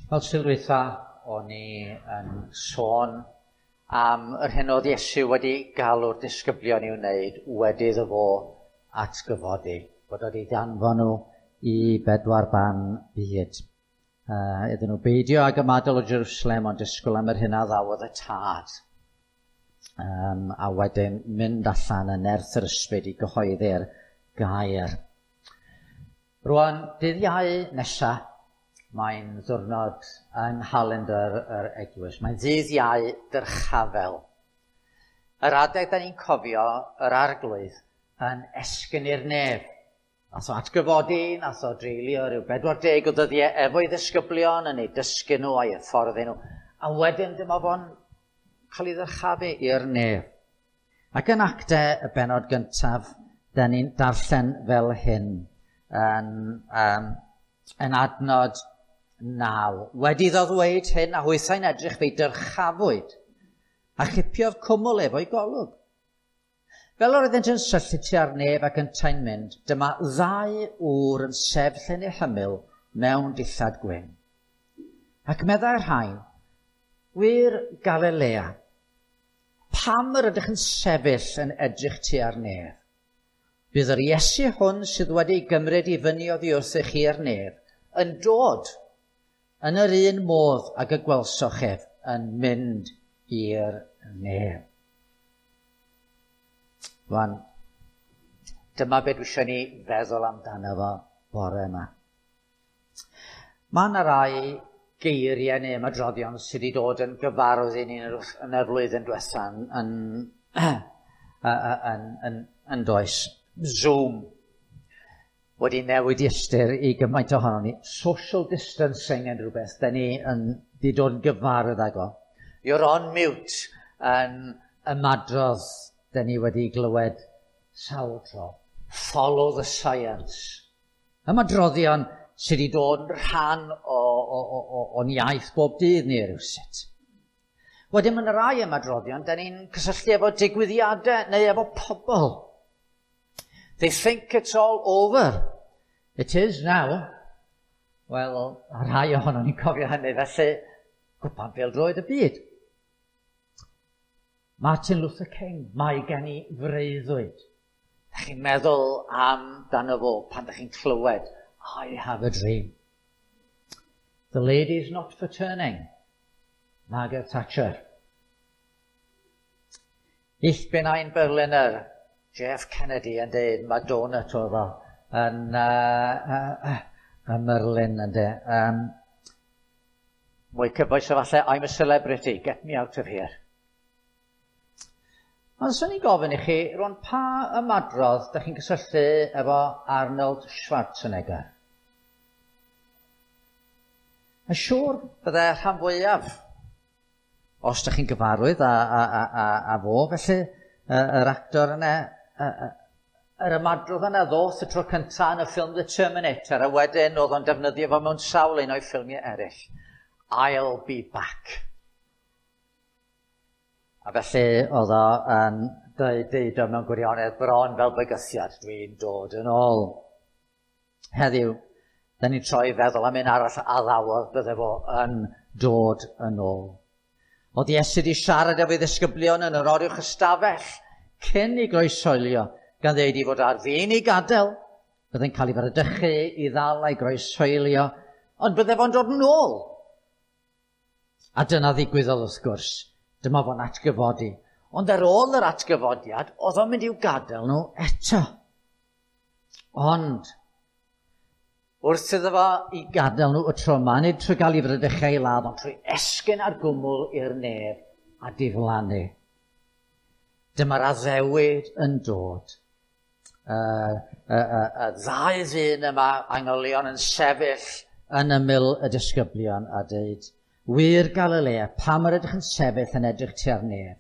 Fel Sul dwytha, o'n i yn sôn am yr hyn oedd Iesu wedi galw'r disgyblion i'w wneud wedi iddo fo atgyfodi, bod wedi danfon nhw i bedwar ban byd. Iddyn nhw beidio ag ymadael o Jerusalem ond disgwyl am yr hyn a ddawodd y Tad. A wedyn mynd allan yn nerth yr ysbryd i gyhoeddi'r gair. Rwan, dydd Iau nesa, mae'n ddiwrnod yng nghalendr yr eglwys. Mae'n ddydd Iau dyrchafel. Yr adeg da ni'n cofio yr Arglwydd yn esgyn i'r nef. Nath o atgyfodi, nath o dreulio rhyw 40 o ddyddiau efo'i ddisgyblion yn eu dysgu nhw a'i hyfforddi nhw. A wedyn dyma fo'n cael ei ddyrchafu i'r nef. Ac yn Actau y bennod gyntaf, da ni'n darllen fel hyn yn adnod 9. Wedi iddo ddweud hyn, a hwythau'n edrych, fe'i dyrchafwyd, a chipiodd cwmwl efo'i golwg. Fel yr oeddent yn syllu tua'r nef ac yntau'n mynd, dyma ddau ŵr yn sefyll yn eu hymyl mewn dillad gwyn. Ac meddai'r rhain, "Wŷr Galilea, pam yr ydych yn sefyll yn edrych tua'r nef? Bydd yr Iesu hwn sydd wedi ei gymryd i fyny oddi wrthych chi i'r nef yn dod yn yr un modd ag y gwelsoch ef yn mynd i'r nef." Rwan, dyma beth dwi eisiau ni feddwl amdano fo bore yma. Mae yna rai geiriau neu ymadroddion sydd wedi dod yn gyfarwydd i ni yn y flwyddyn diwethaf yn does. Zoom wedi newid i ystyr i gymaint ohonon ni. Social distancing yn rhywbeth da ni yn di dod yn gyfarwydd ag o. You're on mute yn ymadrodd da ni wedi glywed sawl tro. Follow the science. Ymadroddion sydd wedi dod yn rhan o'n iaith bob dydd ni rywsut. Wedyn mae yna rai ymadroddion da ni'n cysylltu efo digwyddiadau neu efo pobl. They think it's all over. It is now. Wel, rhai ohonon ni'n cofio hynny, felly cwpan pêl-droed y byd. Martin Luther King, "Mae gen i freuddwyd." Da chi'n meddwl amdano fo pan da chi'n clywed "I have a dream." The lady's not for turning. Margaret Thatcher. Ich bin ein Berliner. J.F. Kennedy yn dweud, mae donut oedd o yn Merlin yn dweud. Mwy cyfoes o falle, "I'm a celebrity, get me out of here." Ond swn i'n gofyn i chi, rwan, pa ymadrodd da chi'n cysylltu efo Arnold Schwarzenegger? Mae'n siŵr bydde rhan fwyaf, os da chi'n gyfarwydd â fo, felly yr actor yna, yr ymadrodd yna ddoth y tro cyntaf yn y ffilm The Terminator, a wedyn oedd o'n defnyddio fo mewn sawl un o'i ffilmiau eraill. "I'll be back." A felly oedd o yn dweud o mewn gwirionedd bron fel bygythiad, "Dwi'n dod yn ôl." Heddiw, da ni'n troi feddwl am un arall a addawodd bydde fo yn dod yn ôl. Oedd Iesu wedi siarad efo'i ddisgyblion yn yr oruwch ystafell cyn i groeshoelio, gan ddeud i fod ar fin i gadael, byddai'n cael ei fradychu, i ddal a'i groeshoelio, ond bydde fo'n dod yn ôl. A dyna ddigwyddodd wrth gwrs. Dyma fo'n atgyfodi. Ond ar ôl yr atgyfodiad, oedd o'n mynd i'w gadael nhw eto. Ond, wrth iddo fo i gadael nhw y tro yma, nid trwy gael ei fradychu i ladd, ond trwy esgyn ar gwmwl i'r nef a diflannu. Dyma'r addewid yn dod. Y ddau ddyn yma, angylion, yn sefyll yn ymyl y disgyblion a dweud, "Wŷr Galilea, pam yr ydych yn sefyll yn edrych tua'r nef?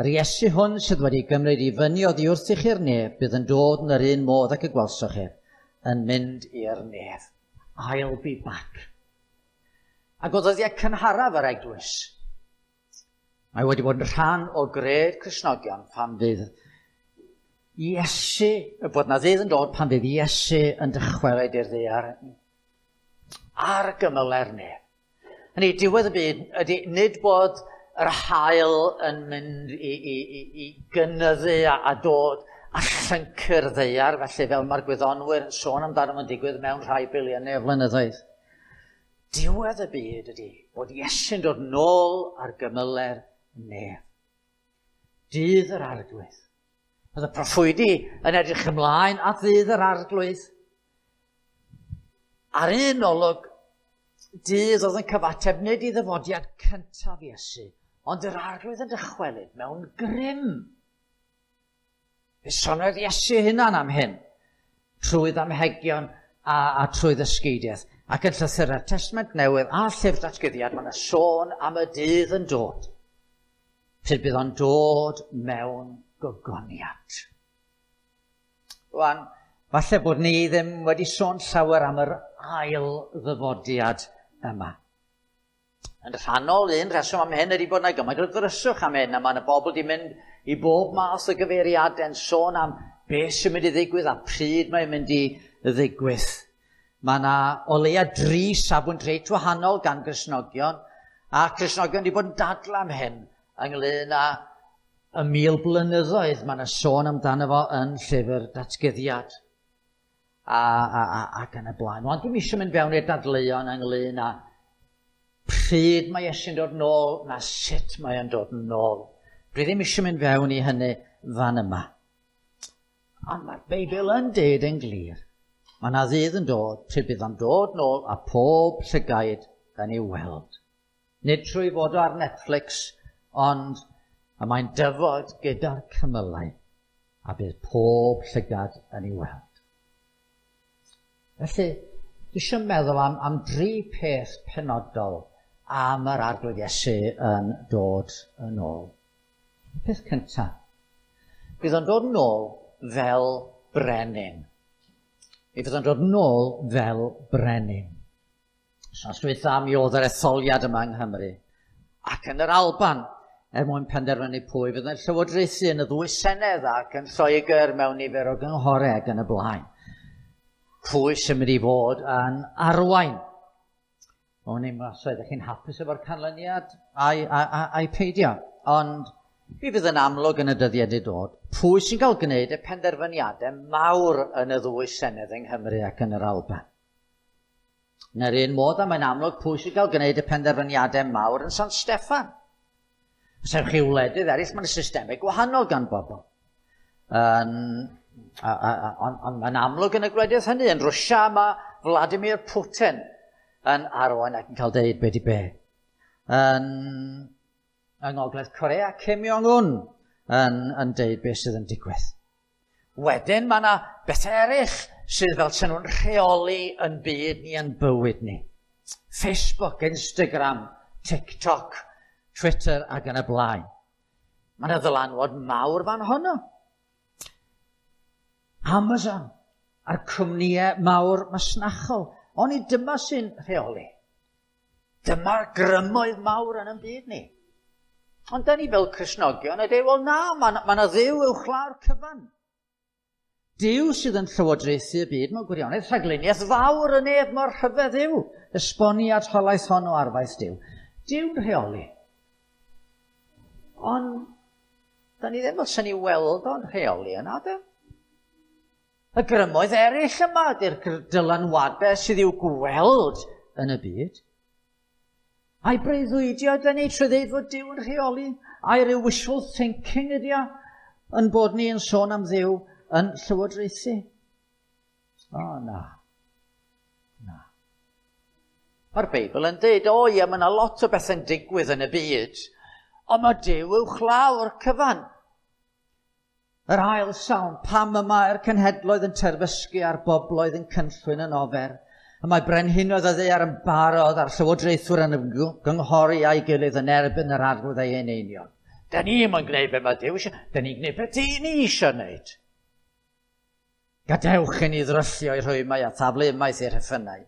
Yr Iesu hwn sydd wedi gymryd i fyny oddi wrthych i'r nef, bydd yn dod yn yr un modd ac y gwelsoch ef yn mynd i'r nef." "I'll be back." Ac o ddyddiau cynharaf yr eglwys, mae wedi bod yn rhan o gred Cristnogion pan fydd Iesu, bod na ddydd yn dod pan fydd Iesu yn dychwelyd i'r ddaear ar gymyle'r nef. Hynny, diwedd y byd ydy nid bod yr haul yn mynd i gynyddu a dod a llyncu'r ddaear, felly fel mae'r gwyddonwyr yn sôn amdano fo'n digwydd mewn rhai biliynau o flynyddoedd. Diwedd y byd ydy bod Iesu'n dod nôl ar gymyle'r nef. Dydd yr Arglwydd. Oedd y proffwydi yn edrych ymlaen at ddydd yr Arglwydd. Ar un olwg, dydd oedd yn cyfateb nid i ddyfodiad cyntaf Iesu, ond yr Arglwydd yn dychwelyd mewn grym. Fe soniodd Iesu hunan am hyn, trwy ddamhegion a trwy ddysgeidiaeth. Ac yn llythyrau'r Testament Newydd a Llyfr Datguddiad, mae yna sôn am y dydd yn dod. Pryd bydd o'n dod mewn gogoniant. Rwan, falle bod ni ddim wedi sôn llawer am yr ail ddyfodiad yma. Yn rhannol, un rheswm am hyn ydy bod yna gymaint o ddryswch am hyn, a mae yna bobl wedi mynd i bob math o gyfeiriadau'n sôn am beth sy'n mynd i ddigwydd a pryd mae'n mynd i ddigwydd. Mae yna o leia 3 safbwynt reit wahanol gan Gristnogion, a Cristnogion wedi bod yn dadlau am hyn ynglyn â y 1000 blynyddoedd. Mae yna sôn amdano fo yn Llyfr Datguddiad ac yn y blaen. Ond dwi'm eisiau mynd fewn i'r dadleuon ynglyn â pryd mae Iesu'n dod nôl na sut mae o'n dod nôl. Dwi ddim eisiau mynd fewn i hynny fan yma. Ond mae'r Beibl yn deud yn glir, mae yna ddydd yn dod pryd bydd o'n dod nôl a pob llygaid yn ei weld. Nid trwy fod o ar Netflix, ond y mae'n dyfod gyda'r cymylau a bydd pob llygad yn ei weld. Felly, dwi eisiau meddwl am 3 peth penodol am yr Arglwydd Iesu yn dod yn ôl. Y peth cyntaf, bydd o'n dod yn ôl fel brenin. Mi fydd o'n dod yn ôl fel brenin. Wythnos dwytha mi oedd yr etholiad yma yng Nghymru ac yn yr Alban, er mwyn penderfynu pwy fydd yn llywodraethu yn y ddwy senedd ac yn Lloegr mewn nifer o gynghorau ac yn y blaen. Pwy sy'n mynd i fod yn arwain? O'n i'n meddwl, ydych chi'n hapus efo'r canlyniad a'i peidio? Ond mi fydd yn amlwg yn y dyddiau i dod pwy sy'n cael gwneud y penderfyniadau mawr yn y ddwy senedd yng Nghymru ac yn yr Alban. Yn yr un modd, a mae'n amlwg pwy sy'n cael gwneud y penderfyniadau mawr yn San Steffan. Os ewch chi wledydd eraill, mae'n systemau gwahanol gan bobl. Ond mae'n amlwg yn y gwledydd hynny. Yn Rwsia mae Vladimir Putin yn arwain ac yn cael deud be di be. Yng Ngogledd Corea, Kim Jong-un yn deud beth sydd yn digwydd. Wedyn mae yna bethau eraill sydd fel sy'n nhw'n rheoli yn byd ni, yn bywyd ni. Facebook, Instagram, TikTok, Twitter ac yn y blaen. Mae yna ddylanwad mawr fan honno. Amazon a'r cwmnïau mawr masnachol. Oni dyma sy'n rheoli. Dyma'r grymoedd mawr yn y byd ni. Ond da ni fel Cristnogion yn dweud, wel na, mae yna Dduw uwchlaw'r cyfan. Duw sydd yn llywodraethu y byd mewn gwirionedd, rhagluniaeth fawr yn ef mor rhyfedd yw, esboniad holaeth hon o arfaeth Duw. Duw'n rheoli. Ond da ni ddim fel sy'n ni weld o'n rheoli yna, de? Y grymoedd eraill yma ydy'r dylanwadau sydd i'w gweld yn y byd. A'i breuddwydio ydy ni trwy ddeud fod Duw yn rheoli? A'i ryw wishful thinking ydy o yn bod ni yn sôn am Dduw yn llywodraethu? O, na. Na. Mae'r Beibl yn dweud, o ie, mae yna lot o bethau'n digwydd yn y byd, ond mae Duw uwchlaw'r cyfan. Yr ail salm, pam y mae'r cenhedloedd yn terfysgu a'r bobloedd yn cynllwyn yn ofer, y mae brenhinoedd y ddaear yn barod a'r llywodraethwyr yn gynghori a'i gilydd yn erbyn yr Arglwydd a'i eneinion. Da ni ddim yn gwneud be mae Duw eisiau, da ni'n gwneud beth ni eisiau gwneud. Gadewch i ni ddryllio i rhwymau a thaflu ymaith i'r rheffynnau.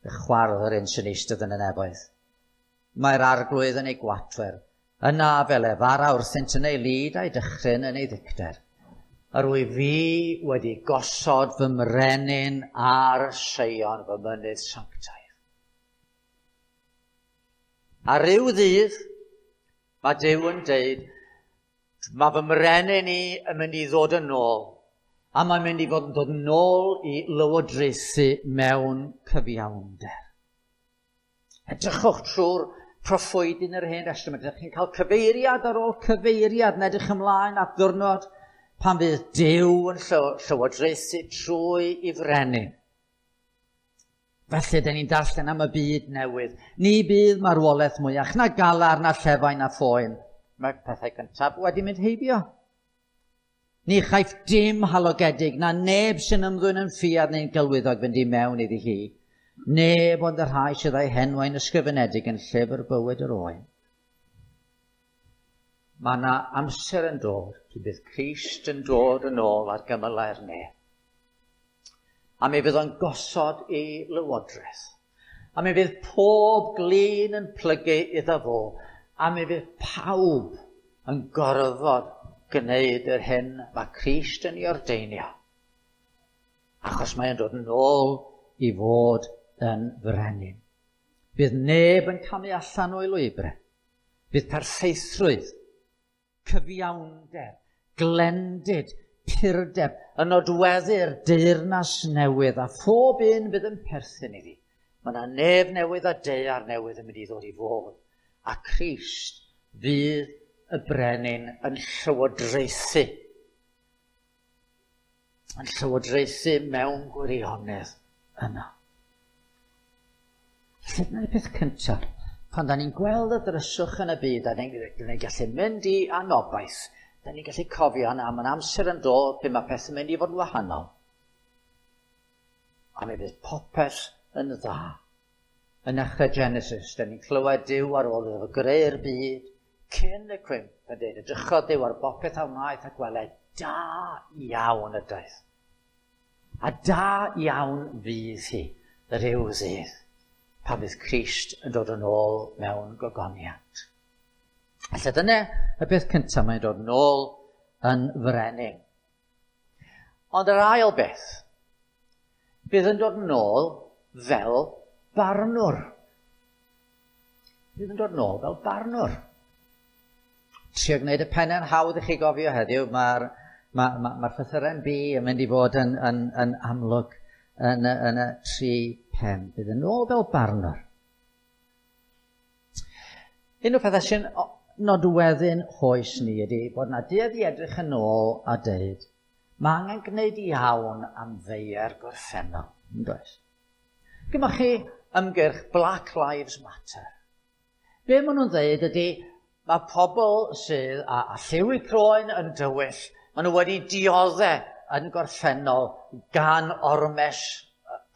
Fe chwardd yr un sy'n eistedd yn y nefoedd. Mae'r Arglwydd yn ei gwatwer, yna fel efara wrthynt yn ei lid a'i dychryn yn ei ddicter. Yr wyf fi wedi gosod fy mrenin ar Seion fy mynydd sanctaidd. A ryw ddydd, mae Duw yn deud, mae fy mrenin i yn mynd i ddod yn ôl, a mae'n mynd i fod yn dod yn ôl i lywodraethu mewn cyfiawnder. Edrychwch trwy'r proffwyd yn yr Hen Destament. Ydych chi'n cael cyfeiriad ar ôl cyfeiriad yn edrych ymlaen at ddiwrnod pan fydd Duw yn llywodraethu trwy i frenin. Felly, dyn ni'n darllen am y byd newydd. Ni bydd marwolaeth mwyach, na galar, na llefain, na phoen. Mae'r pethau cyntaf wedi mynd heibio. Ni chaiff dim halogedig, na neb sy'n ymddwyn yn ffiaidd neu'n gelwyddog fynd i mewn iddi hi. Neb ond y rhai sydd â'u henwau'n ysgrifenedig yn llyfr bywyd yr Oen. Mae yna amser yn dod pryd bydd Crist yn dod yn ôl ar gymylau'r nef. A mi fydd o'n gosod ei lywodraeth. A mi fydd pob glin yn plygu iddo fo. A mi fydd pawb yn gorfod gwneud yr hyn mae Crist yn ei ordeinio. Achos mae'n dod yn ôl i fod yn frenin. Bydd neb yn camu allan o'i lwybrau. Bydd perffeithrwydd, cyfiawnder, glendid, purdeb yn nodweddu'r deyrnas newydd a phob un fydd yn perthyn iddi. Mae yna nef newydd a daear newydd yn mynd i ddod i fod. A Crist fydd y brenin yn llywodraethu. Yn llywodraethu mewn gwirionedd yna. Felly dyna'r peth cyntaf. Pan da ni'n gweld y dryswch yn y byd a ni'n gallu mynd i anobaith, da ni'n gallu cofio na mae'n amser yn dod pryd mae pethau'n mynd i fod yn wahanol. A mi fydd popeth yn dda. Yn nechrau Genesis, da ni'n clywed Duw ar ôl iddo fo greu'r byd, cyn y cwymp, yn dweud, edrychodd Duw ar bopeth a wnaeth a gweled da iawn ydoedd. A da iawn fydd hi, rhyw ddydd, pan fydd Crist yn dod yn ôl mewn gogoniant. Felly dyna y peth cyntaf, mae'n dod yn ôl yn frenin. Ond yr ail beth, bydd yn dod yn ôl fel barnwr. Bydd yn dod yn ôl fel barnwr. Trio gwneud y pennau'n hawdd i chi gofio heddiw, mae'r llythyren B yn mynd i fod yn amlwg yn y tri pen. Bydd yn ôl fel barnwr. Un o'r pethau sy'n nodweddu'n hoes ni ydy bod yna duedd i edrych yn ôl a deud, mae angen gwneud iawn am feiau'r gorffennol, yn does? Gyma chi ymgyrch Black Lives Matter. Be maen nhw'n dweud ydy, mae pobl sydd â lliw eu croen yn dywyll, maen nhw wedi dioddau yn gorffennol gan ormes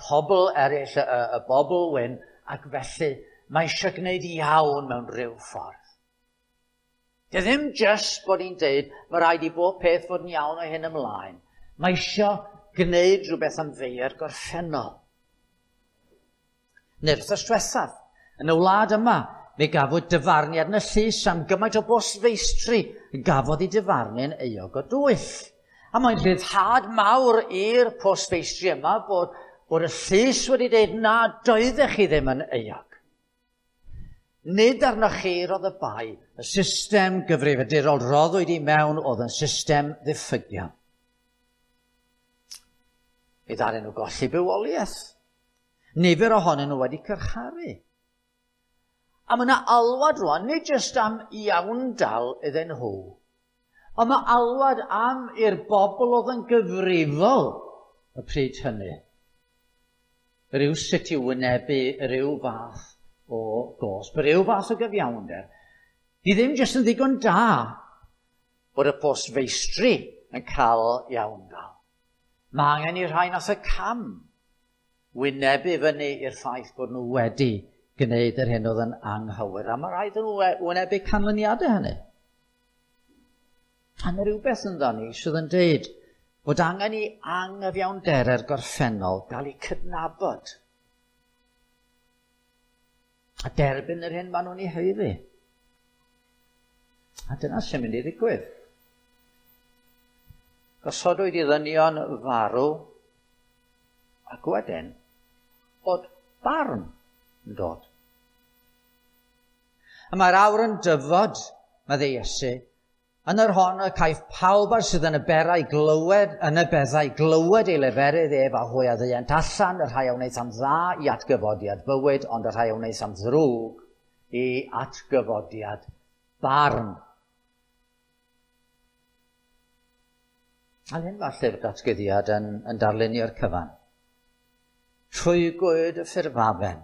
pobl eraill, y bobl wyn, ac felly mae eisiau gwneud iawn mewn rhyw ffordd. Dy ddim jyst bod ni'n deud, mae rhaid i bob peth fod yn iawn o hyn ymlaen. Mae eisiau gwneud rhywbeth am feiau'r gorffennol. Neu'r wythnos diwethaf, yn y wlad yma, mi gafwyd dyfarniad yn y llys am gymaint o bostfeistri gafodd ei dyfarnu'n euog o dwyll. A mae'n rhyddhad mawr i'r postfeistri yma bod y llys wedi dweud na, doeddech chi ddim yn euog. Nid arnoch chi roedd y bai, y system gyfrifiadurol roddwyd i mewn oedd yn system ddiffygiol. Mi ddaru nhw golli bywoliaeth. Nifer ohonyn nhw wedi carcharu. A mae yna alwad rwan, nid jyst am iawndal iddyn nhw, ond mae alwad am i'r bobl oedd yn gyfrifol y pryd hynny. Rhyw sut i wynebu rhyw fath o gosb, rhyw fath o gyfiawnder. Di ddim jyst yn ddigon da bod y postfeistri yn cael iawndal. Mae angen i rhai nath y cam wynebu fyny i'r ffaith bod nhw wedi gwneud yr hyn oedd yn anghywir, a mae rhaid nhw wynebu canlyniadau hynny. A mae rhywbeth ynddo ni sydd yn deud bod angen i anghyfiawnderau'r gorffennol gael eu cydnabod a derbyn yr hyn maen nhw'n ei haeddu. A dyna sy'n mynd i ddigwydd. Gosodwyd i ddynion farw ac wedyn bod barn yn dod. A mae'r awr yn dyfod, meddai Iesu, yn yr hon y caiff pawb ar sydd yn y berau glywed, yn y beddau glywed ei leferydd ef a hwy a ddeuent allan, y rhai a wnaeth am dda i atgyfodiad bywyd, ond y rhai a wnaeth am ddrwg i atgyfodiad barn. A hyn mae'r llyfr datguddiad yn darlunio'r cyfan. Rhwygwyd y ffurfafen,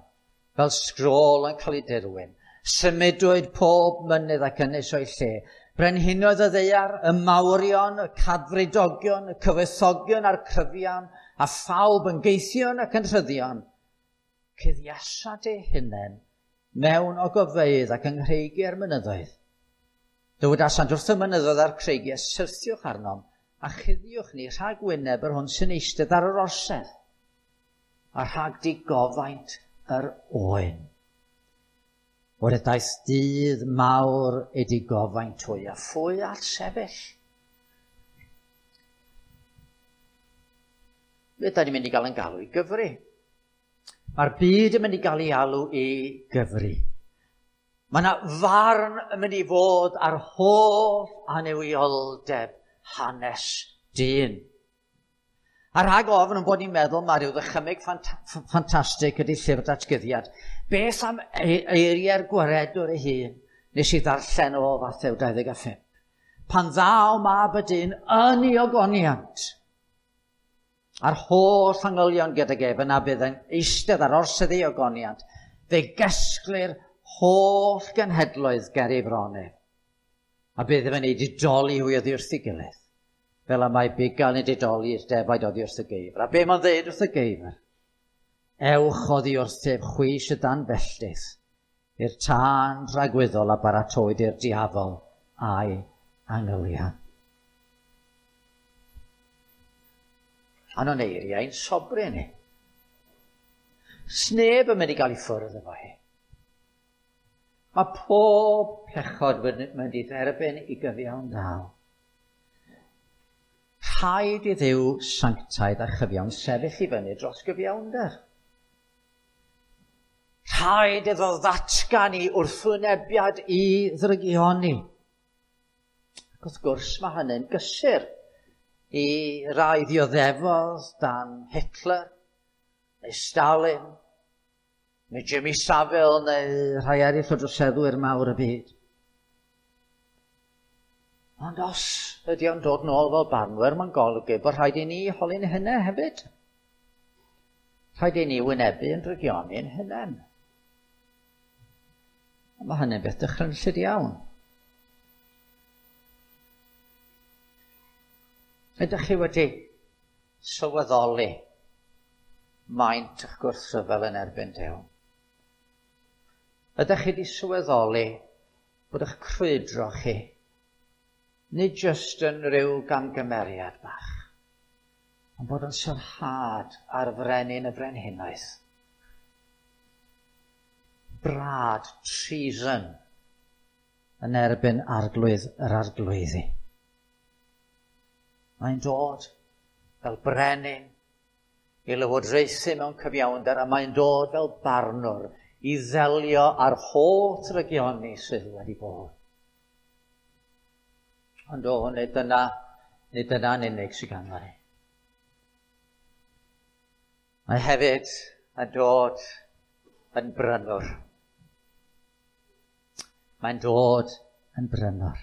fel sgrôl yn cael ei dirwyn. Symudwyd pob mynydd ac ynys o'i lle. Brenhinoedd y ddaear, y mawrion, y cadfridogion, y cyfoethogion a'r cryfion, a phawb yn geithion ac yn rhyddion. Cuddiasant eu hunain mewn ogofeydd ac yng nghreigiau'r mynyddoedd. Dywedasant wrth y mynyddoedd a'r creigiau, syrthiwch arnom a chuddiwch ni rhag wyneb yr hwn sy'n eistedd ar yr orsedd, a rhag digofaint yr oen. O'r daeth dydd mawr ei digofaint hwy, a phwy all sefyll? Be da ni'n mynd i gael yn galw i gyfri? Mae'r byd yn mynd i gael ei alw i gyfri. Mae yna farn yn mynd i fod ar holl annuwioldeb hanes dyn. A rhag ofn yn bod ni'n meddwl mae rhyw ddychymyg ffantastig ydy llyfr datguddiad. Beth am eiriau'r gwaredwr ei hun nes i ddarllen o Fathew 25? Pan ddaw mab y dyn yn ei ogoniant, a'r holl angylion gydag ef yna bydd yn eistedd ar orsedd ei ogoniant, fe gesglir holl genhedloedd ger ei bron ef. A bydd efo'n ei didoli hwy oddi wrth ei gilydd, fel y mae bugail yn didoli i'r defaid oddi wrth y geifr. A be mae'n dweud wrth y geifr? Ewch oddi wrthyf chwi sydd dan felltith, i'r tân dragwyddol a baratowyd i'r diafol a'i angylion. A nhw'n eiriau'n sobri ni. Sneb yn mynd i gael ei ffwrdd efo hi. Mae pob pechod mynd i dderbyn i gyfiawn dal. Rhaid i Dduw sanctaidd a chyfiawn sefyll i fyny dros gyfiawnder. Rhaid iddo ddatgan i wrthwynebiad i ddrygioni. Ac wrth gwrs mae hynny'n gysur i rai ddioddefodd dan Hitler, neu Stalin, neu Jimmy Savile, neu rhai eraill o droseddwyr mawr y byd. Ond os ydy o'n dod nôl fel barnwyr, mae'n golygu bod rhaid i ni holi'n hynny hefyd. Rhaid i ni wynebu yn drygioni'n hunain. Mae hynny'n beth dychrynllyd iawn. Ydych chi wedi sylweddoli maint eich gwrthryfel yn erbyn Duw? Ydych chi wedi sylweddoli bod eich crwydro chi nid jyst yn rhyw gamgymeriad bach, ond bod yn sarhad ar frenin y brenhinoedd. Brad, treason, yn erbyn arglwydd yr arglwyddi. Mae'n dod fel brenin i lywodraethu mewn cyfiawnder, a mae'n dod fel barnwr i ddelio â'r holl drygioni sydd wedi bod. Ond o, nid dyna'n unig sydd ganddo ni. Mae hefyd yn dod yn brynwr. Mae'n dod yn brynwr.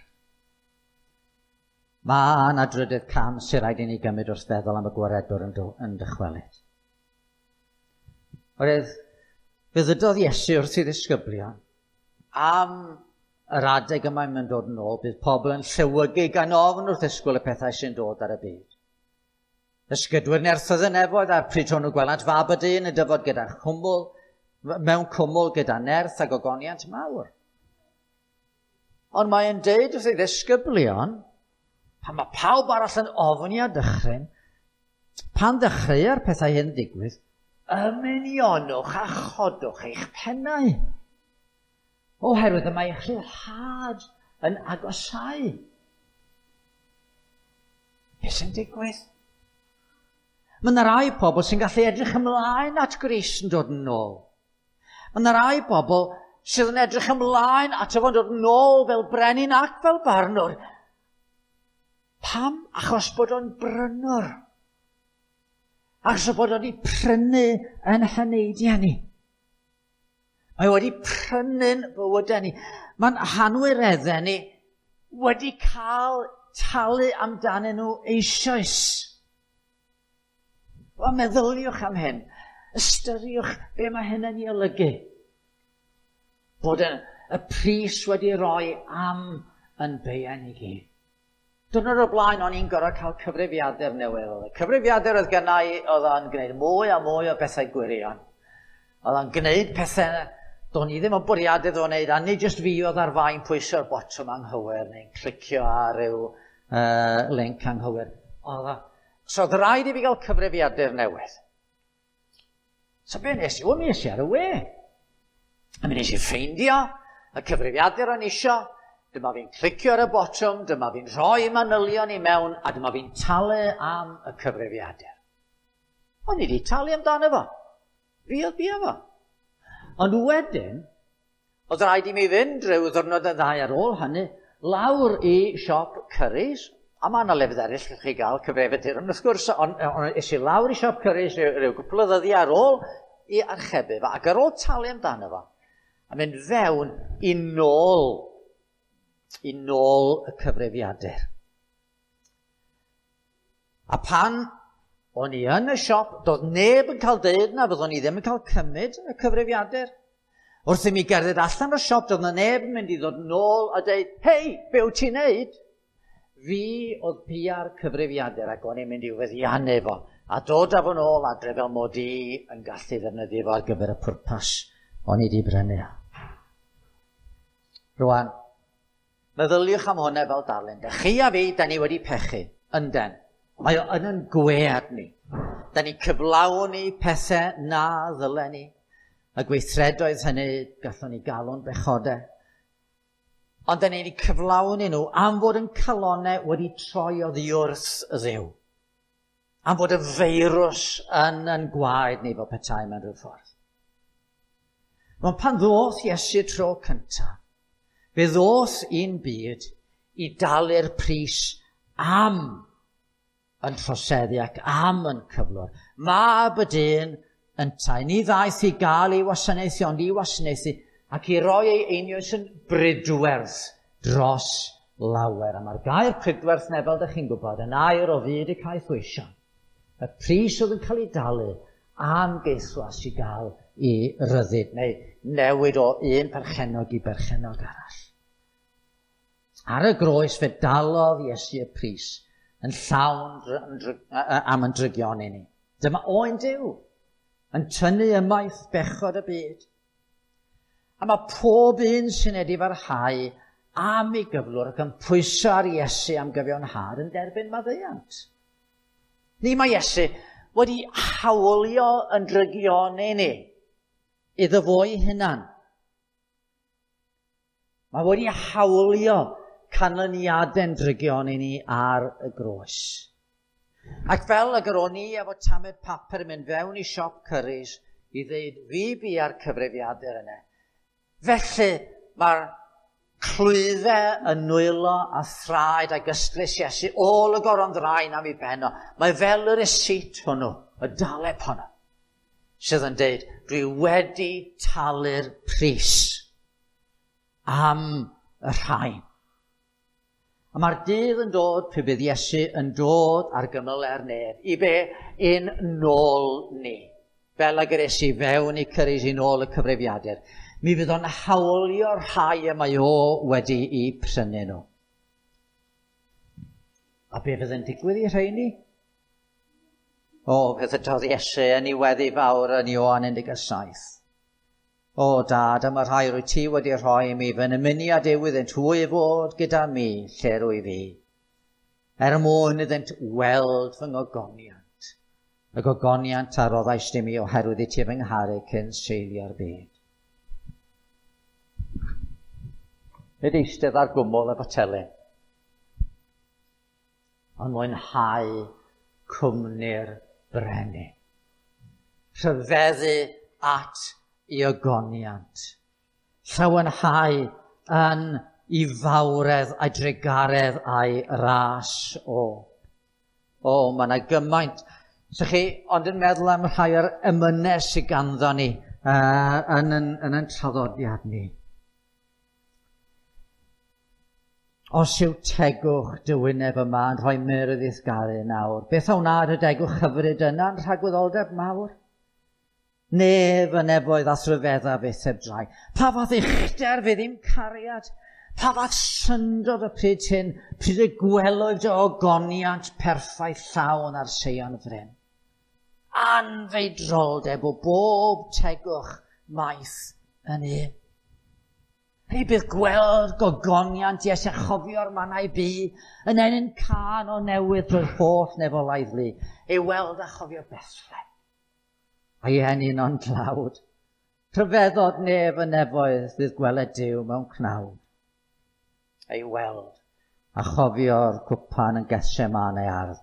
Mae yna drydydd cam sy'n rhaid i ni gymryd wrth feddwl am y gwaredwr yn dychwelyd. Oherwydd, fe ddydodd Iesu wrth ei ddisgyblion am yr adeg yma mae'n dod yn ôl, bydd pobl yn llewygu gan ofn wrth ddisgwyl y pethau sy'n dod ar y byd. Ysgydwyr nerthoedd y nefoedd a'r pryd hwnnw gwelant fab y dyn yn dyfod gyda chwmwl, mewn cwmwl gyda nerth ac ogoniant mawr. Ond mae'n deud wrth ei ddisgyblion, pan mae pawb arall yn ofni a dychryn, pan ddechreua'r pethau hyn ddigwydd, ymunionwch a chodwch eich pennau. Oherwydd y mae eich rhyddhad yn agosáu. Beth sy'n digwydd? Mae yna rai pobl sy'n gallu edrych ymlaen at Grist yn dod yn ôl. Mae yna rai pobl sydd yn edrych ymlaen ato fo'n dod nôl fel brenin ac fel barnwr. Pam? Achos bod o'n brynwr. Achos bod o'n wedi prynu yn heneidiau ni. Mae wedi prynu'n bywydau ni. Mae'n hanwireddau ni wedi cael talu amdanyn nhw eisoes. Wel, meddyliwch am hyn. Ystyriwch be mae hyn yn ei olygu. Bod y pris wedi rhoi am yn beiau ni gyd. Diwrnod o'r blaen o'n i'n gorfod cael cyfrifiadur newydd. Oedd y cyfrifiadur oedd gynna i, oedd o'n gwneud mwy a mwy o bethau gwirion. Oedd o'n gwneud pethau do'n i ddim yn bwriadu iddo wneud, a nid jyst fi oedd ar fai'n pwyso'r botwm anghywir neu'n clicio ar ryw link anghywir. So oedd rhaid i fi gael cyfrifiadur newydd. So be nes i? Wel, mi es i ar y we. A mi nes i ffeindio y cyfrifiadur o'n isio. Dyma fi'n clicio ar y botwm, dyma fi'n rhoi manylion i mewn, a dyma fi'n talu am y cyfrifiadur. O'n i wedi talu amdano fo. Fi oedd bia fo. Ond wedyn, oedd rhaid i mi fynd rhyw ddwrnod y ddau ar ôl hynny, lawr i siop Currys, a mae yna lefydd eraill lle chi gael cyfrifiadur, ond wrth gwrs, on es i lawr i siop Currys rhyw gwpl o ddyddiau ar ôl i archebu fo, ac ar ôl talu amdano fo, a mynd fewn i nôl y cyfrifiadur. A pan o'n i yn y siop, doedd neb yn cael deud na, fyddwn i ddim yn cael cymryd y cyfrifiadur. Wrth i mi gerdded allan o'r siop, doedd na neb yn mynd i ddod nôl a deud, hei, be wyt ti'n neud? Fi oedd bia'r cyfrifiadur ac o'n i'n mynd i'w feddiannu fo, a dod â fo nôl adre fel mod i yn gallu ddefnyddio fo ar gyfer y pwrpas o'n i wedi brynu. Rwan, meddyliwch am hwnna fel darlun. Da chi a fi, da ni wedi pechu, ynden. Mae o yn yn gwead ni. Da ni cyflawni pethau na ddylen ni. Y gweithredoedd hynny gallwn ni galw'n bechodau. Ond da ni wedi cyflawni nhw am fod yn calonau wedi troi oddi wrth y Dduw. Am fod y feirws yn yn gwaed ni fel petai mewn rhyw ffordd. Ond pan ddoth Iesu tro cyntaf, fe ddoth i'n byd i dalu'r pris am yn troseddu ac am yn cyflwr. Mab y dyn yntau. Ni ddaeth i gael ei wasanaethu, ond i wasanaethu ac i roi ei einioes yn bridwerth dros lawer. A mae'r gair pridwerth neu, fel ydych chi'n gwybod, yn air o fyd y caethweision. Y pris oedd yn cael ei dalu am geithwas i gael i ryddid, neu newid o un perchennog i berchennog arall. Ar y groes fe dalodd Iesu y pris yn llawn am yn drygion i ni. Dyma oen Duw yn tynnu ymaith bechod y byd. A mae pob un sy'n edifarhau am ei gyflwr ac yn pwyso ar Iesu am gyfiawnhad yn derbyn maddeuant. Ni mae Iesu wedi hawlio yn drygioni ni iddo fo'i hunan. Mae wedi hawlio canlyniadau'n drygioni ni ar y groes. Ac fel y o'n i efo tamed papur yn mynd fewn i siop Currys i ddeud fi bia'r cyfrifiadur yna. Felly mae'r clwyddau yn nwylo a thraed ac ystlys Iesu ôl y goron ddraen am ei ben o. Mae fel y receipt hwnnw, y daleb honno, sydd yn deud, dwi wedi talu'r pris am y rhain. A mae'r dydd yn dod pe bydd Iesu yn dod ar gymylau'r nef, i be? I'n nôl ni. Fel ag yr es i fewn i Currys i nôl y cyfrifiadur. Mi fydd o'n hawlio'r rhai y mae o wedi'i prynu nhw. A be fydd yn digwydd i rheini? O, fe ddydodd Iesu yn ei weddi fawr yn Ioan 17. O, dad, am y rhai rwy ti wedi rhoi i mi, fy nymuniad yw iddynt hwy fod gyda mi lle rwy fi, er mwyn iddynt weld fy ngogoniant, y gogoniant a roddaist i mi oherwydd i ti fy ngharu cyn seilio'r byd. Nid eistedd ar gwmwl efo telyn, ond mwynhau cwmni'r brenin. Rhyfeddu at i ogoniant. Llawenhau yn i fawredd a'i drugaredd a'i ras o. O, mae yna gymaint. So chi ond yn meddwl am rhai o'r emynau sydd ganddo ni yn traddodiad ni. Os yw tegwch dy wyneb yma yn rhoi myrdd i'th garu nawr, beth a wna dy degwch hyfryd yna yn rhagwyddoldeb mawr? Nef y nefoedd a thryfedda fyth heb drai. Pa fath uchder fydd ddim cariad? Pa fath syndod y pryd hyn, pryd y gwelwyd dy ogoniant perffaith llawn ar Seion fryn? Anfeidroldeb o bob tegwch maith yn un. Hei, bydd gweld gogoniant Iesu a chofio'r mannau bu yn enyn cân o newydd drwy'r holl nefolaidd lu, ei weld a chofio Bethlehem. A'i ennyn o'n tlawd. Rhyfeddod nef y nefoedd fydd gweled Duw mewn cnawd. Ei weld a chofio'r cwpan yn Gethsemane ardd.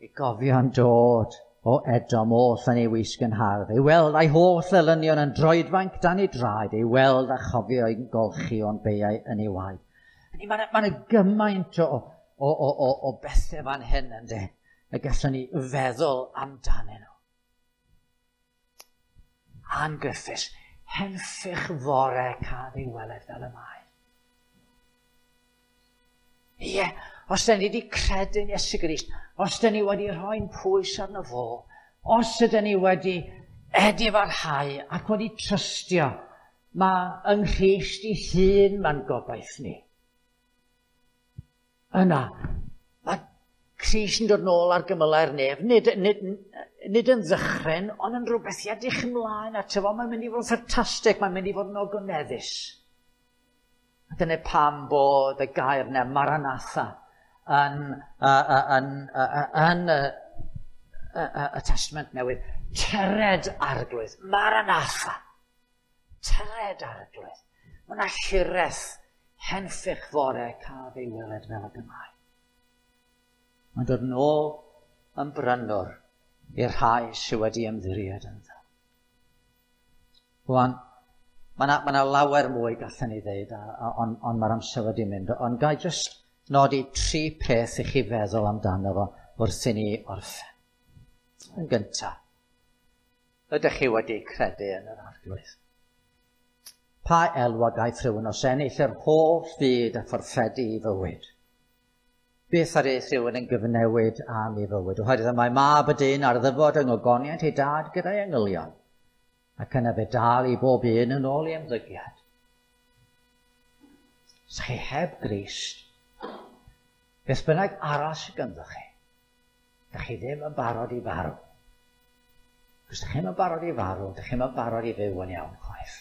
Ei gofio'n dod o Edom oll yn ei wisg yn hardd. Ei weld a'i holl elynion yn droedfanc dan ei draed. Ei weld a chofio ei golchi o'n beiau yn ei waed. Mae yna gymaint o bethau fan hyn ynddo, y gallwn ni feddwl amdanyn nhw. Ann Griffiths, henffych fore cael ei weled fel y mae. Ie, os da ni wedi credu'n Iesu Grist, os da ni wedi rhoi'n pwys arno fo, os ydyn ni wedi edifarhau ac wedi trystio, mae yng Nghrist ei hun mae'n gobaith ni. Yna, mae Crist yn dod nôl ar gymylau'r nef, nid yn ddychryn, ond yn rhywbeth i edrych ymlaen ato fo. Mae'n mynd i fod yn ffantastig, mae'n mynd i fod yn ogoneddus. A dyna pam bod y gair yna, Maranatha, yn y Testament Newydd. Tyred Arglwydd, Maranatha. Tyred Arglwydd. Mae yna hiraeth henffych fore caf ei weled fel y mae. Mae'n dod yn ôl yn brynwr i'r rhai sydd wedi ymddiried ynddo. Rwan, mae yna lawer mwy gallen ni ddeud, ond mae'r amser wedi mynd. Ond ga i jyst nodi tri peth i chi feddwl amdano fo wrth i ni orffen. Yn gyntaf, ydych chi wedi credu yn yr Arglwydd? Pa elw a gaiff rhywun os ennill yr holl fyd a fforffedu i fywyd? Beth ar eith rhywun yn gyfnewid am ei fywyd? Oherwydd y mae mab y dyn ar ddyfod yng ngogoniant ei dad gyda'i angylion, ac yna fe dal i bob un yn ôl ei ymddygiad. Os chi heb Grist, beth bynnag arall sydd ganddo chi, dych chi ddim yn barod i farw. Os dych chi'n yn barod i farw, dych chi'n yn barod i fyw yn iawn chwaith.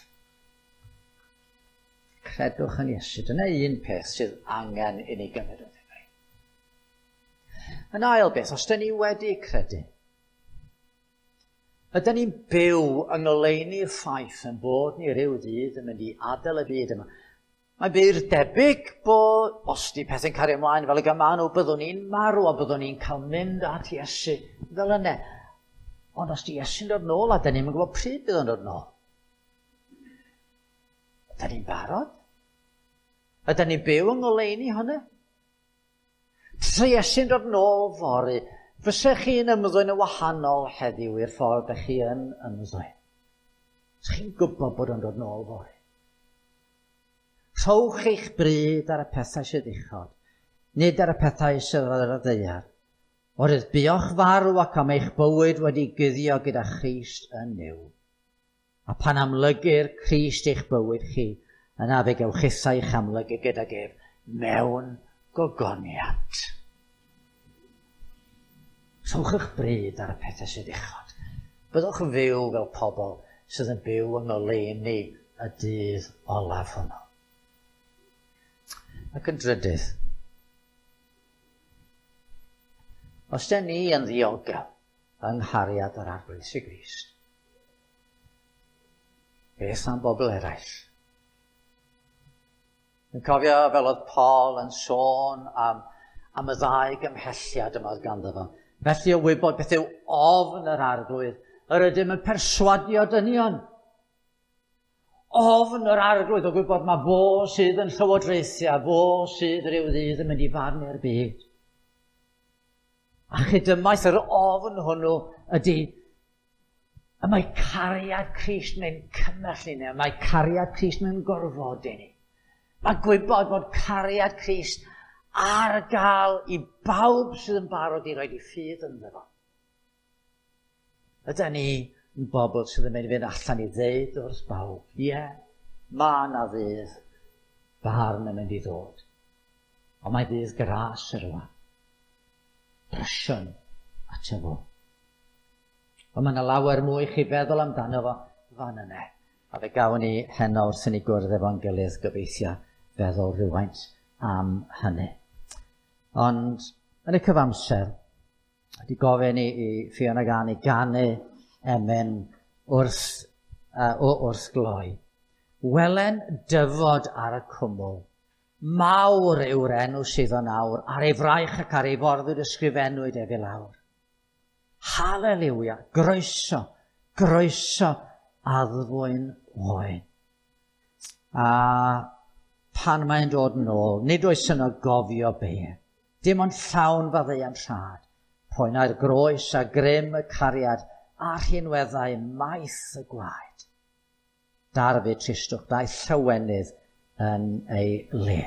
Credwch yn Iesu. Dyna un peth sydd angen i ni gymryd o ddifri. Yn ail beth, os dyn ni wedi credu, ydyn ni'n byw yng ngoleuni'r ffaith yn bod ni ryw ddydd yn mynd i adael y byd yma. Mae'n bur debyg bod, os di pethau'n cario ymlaen fel y gyma nhw, byddwn ni'n marw a byddwn ni'n cael mynd at Iesu fel yna. Ond os di Iesu'n dod nôl, a dyn ni'n gwybod pryd bydd o'n dod nôl. Ydyn ni'n barod? Ydyn ni'n byw yng ngoleuni hwnna? Tase Iesu'n dod nôl fory, fysech chi'n ymddwyn yn wahanol heddiw i'r ffordd ydych chi yn ymddwyn? Ydych chi'n gwybod bod o'n dod nôl fory? Rhowch eich bryd ar y pethau sydd uchod, nid ar y pethau sydd ar y ddaear. Oherwydd buoch farw ac am eich bywyd wedi guddio gyda Christ yn Nuw. A pan amlygir Crist eich bywyd chi, yna fe gewch chithau eich amlygu gydag ef mewn gogoniant. Rhowch eich bryd ar y pethau sydd uchod. Byddwch yn fyw fel pobl sydd yn byw yng ngoleuni y dydd olaf hwnnw. Ac yn drydydd, os dyn ni yn ddiogel yng nghariad yr Arglwydd Iesu Grist, beth am bobl eraill? Yn cofio fel oedd Paul yn sôn am y ddau gymhelliad yma oedd ganddo fo. Felly o wybod beth yw ofn yr Arglwydd, yr ydym yn perswadio dynion. Ofn yr Arglwydd o gwybod mae fo sydd yn llywodraethu a fo sydd rhyw ddydd yn mynd i farnu'r byd. A chydymaith yr ofn hwnnw ydy, y mae cariad Crist mewn cymell i ni, mae cariad Crist mewn gorfod i ni. Mae gwybod bod cariad Crist ar gael i bawb sydd yn barod i roed i ffydd ynddo fo. Ydy ni yn bobl sydd yn mynd i fynd allan i ddeud wrth bawb, ie, yeah, mae yna ddydd barn yn mynd i ddod. Ond mae ddydd gras yr yma. Brysion ato fo. Ond mae yna lawer mwy chi feddwl amdano fo fan yna. A fe gawn ni heno wrth i ni gwrdd efo'n gilydd gobeithio feddwl rhywfaint am hynny. Ond yn y cyfamser, wedi gofyn i Fiona Gan i ganu emyn wrth gloi. Welen dyfod ar y cwmwl. Mawr yw'r enw sydd o'n awr, ar ei fraich ac ar ei forddwyd ysgrifennwyd ef i lawr. Haleliwia, groeso, groeso addfwyn oen. A pan mae'n dod yn ôl, nid oes yno gofio be. Dim ond llawn faddeuant rhad. Poenau'r groes a grym y cariad a rhinweddau maith y gwaed. Darfu tristwch, daeth llawenydd yn ei le.